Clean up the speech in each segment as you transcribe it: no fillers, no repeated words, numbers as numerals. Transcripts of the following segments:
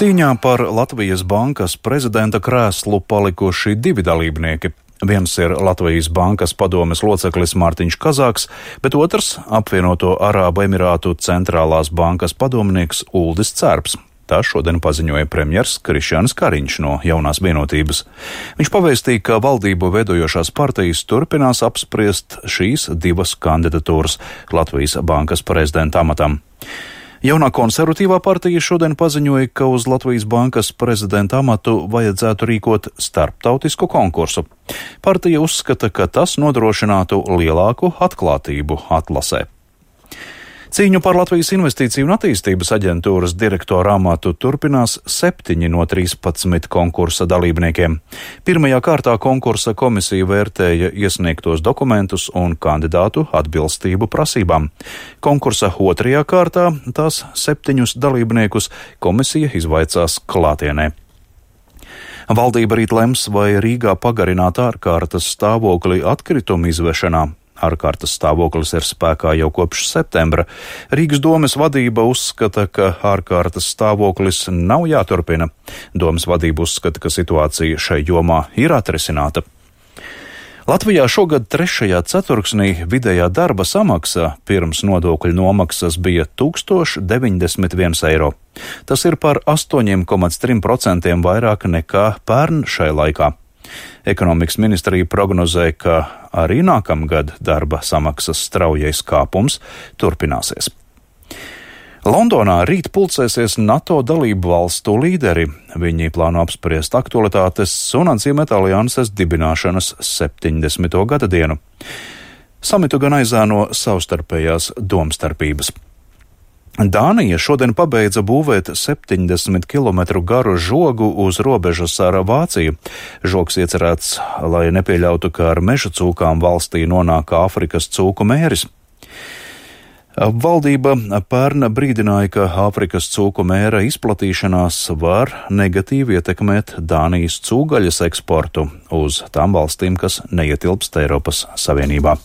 Cīņā par Latvijas Bankas prezidenta krēslu palikuši divi dalībnieki. Viens ir Latvijas Bankas padomes loceklis Mārtiņš Kazāks, bet otrs apvienoto Arābu Emirātu centrālās bankas padomnieks Uldis Cērps. Tā šodien paziņoja premjers Krišjānis Kariņš no Jaunās Vienotības. Viņš pavēstīja, ka valdību veidojošās partijas turpinās apspriest šīs divas kandidatūras Latvijas Bankas prezidenta amatam. Jaunā konservatīvā partija šodien paziņoja, ka uz Latvijas Bankas prezidenta amatu vajadzētu rīkot starptautisku konkursu. Partija uzskata, ka tas nodrošinātu lielāku atklātību atlasē. Cīņu par Latvijas Investīciju un attīstības aģentūras direktora amatu turpinās 7 no 13 konkursa dalībniekiem. Pirmajā kārtā konkursa komisija vērtēja iesniegtos dokumentus un kandidātu atbilstību prasībām. Konkursa otrajā kārtā tās 7 dalībniekus komisija izvaicās klātienē. Valdība rīt lems, vai Rīgā pagarināt ārkārtas stāvokli atkritumu izvešanā. Ārkārtas stāvoklis ir spēkā jau kopš septembra. Rīgas domes vadība uzskata, ka ārkārtas stāvoklis nav jāturpina. Domes vadība uzskata, ka situācija šai jomā ir atrisināta. Latvijā šogad 3. ceturksnī vidējā darba samaksa pirms nodokļu nomaksas bija 1091 eiro. Tas ir par 8,3% vairāk nekā pērn šai laikā. Ekonomikas ministrija prognozē, ka arī nākamgad darba samaksas straujais kāpums turpināsies. Londonā rīt pulcēsies NATO dalību valstu līderi. Viņi plāno apspriest aktualitātes un atzīmēt alianses dibināšanas 70. gada dienu. Samitu gan aizēno savstarpējās domstarpības. Dānija šodien pabeidza būvēt 70 km garu žogu uz robežas ar Vāciju. Žogs iecerēts, lai nepieļautu, ka ar meža cūkām valstī nonāk Āfrikas cūku mēris. Valdība pērn brīdināja, ka Āfrikas cūku mēra izplatīšanās var negatīvi ietekmēt Dānijas cūgaļas eksportu uz tām valstīm, kas neietilpst Eiropas Savienībā.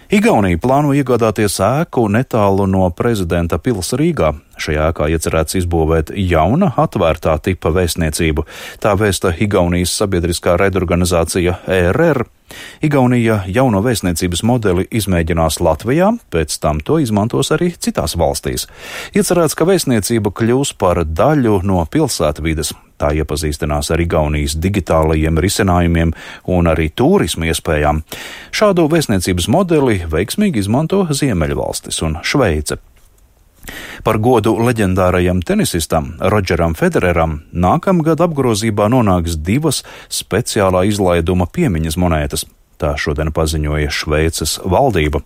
Igaunija plāno iegādāties ēku netālu no prezidenta pils Rīgā. Šajā ēkā iecerēts izbūvēt jauna atvērtā tipa vēstniecību. Tā vēsta Igaunijas sabiedriskā raidorganizācija ERR. Igaunija jauno vēstniecības modeli izmēģinās Latvijā, pēc tam to izmantos arī citās valstīs. Iecerēts, ka vēstniecība kļūs par daļu no pilsētvides. Tā iepazīstinās ar Igaunijas digitālajiem risinājumiem un arī turismu iespējām. Šādu vēstniecības modeli veiksmīgi izmanto Ziemeļvalstis un Šveice. Par godu leģendārajam tenisistam Rodžeram Federeram nākamgad apgrozībā nonāks 2 speciālā izlaiduma piemiņas monētas. Tā šodien paziņoja Šveices valdība.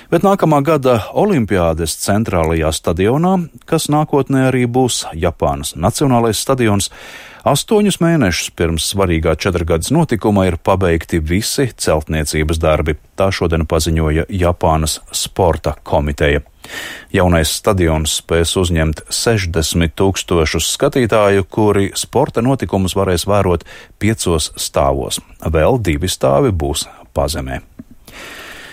Bet nākamā gada olimpiādes centrālajā stadionā, kas nākotnē arī būs Japānas nacionālais stadions, 8 mēnešus pirms svarīgā 4-gads notikuma ir pabeigti visi celtniecības darbi. Tā šodien paziņoja Japānas sporta komiteja. Jaunais stadions spēs uzņemt 60 000 skatītāju, kuri sporta notikumus varēs vērot 5 stāvos. Vēl 2 stāvi būs pazemē.